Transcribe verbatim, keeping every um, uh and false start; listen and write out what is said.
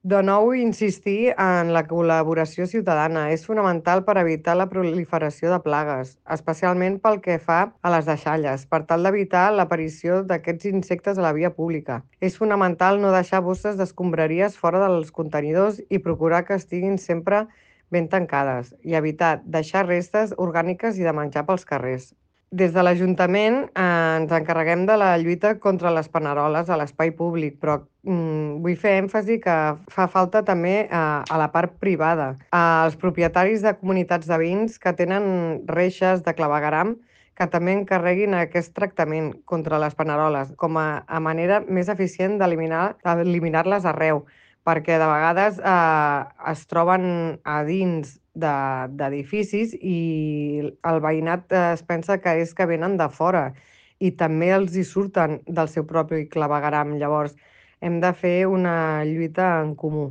De nou, insistir en la col·laboració ciutadana és fonamental per evitar la proliferació de plagues, especialment pel que fa a les deixalles, per tal d'evitar l'aparició d'aquests insectes a la via pública. És fonamental no deixar bosses d'escombraries fora dels contenidors i procurar que estiguin sempre ben tancades i evitar deixar restes orgàniques i de menjar pels carrers. Des de l'Ajuntament eh, ens encarreguem de la lluita contra les paneroles a l'espai públic, però mm, vull fer èmfasi que fa falta també eh, a la part privada. Els propietaris de comunitats de veïns que tenen reixes de clavegueram que també encarreguin aquest tractament contra les paneroles com a, a manera més eficient d'eliminar eliminar-les arreu, perquè de vegades eh, es troben a dins de- d'edificis i el veïnat eh, es pensa que és que venen de fora i també els hi surten del seu propi clavegueram. Llavors, hem de fer una lluita en comú.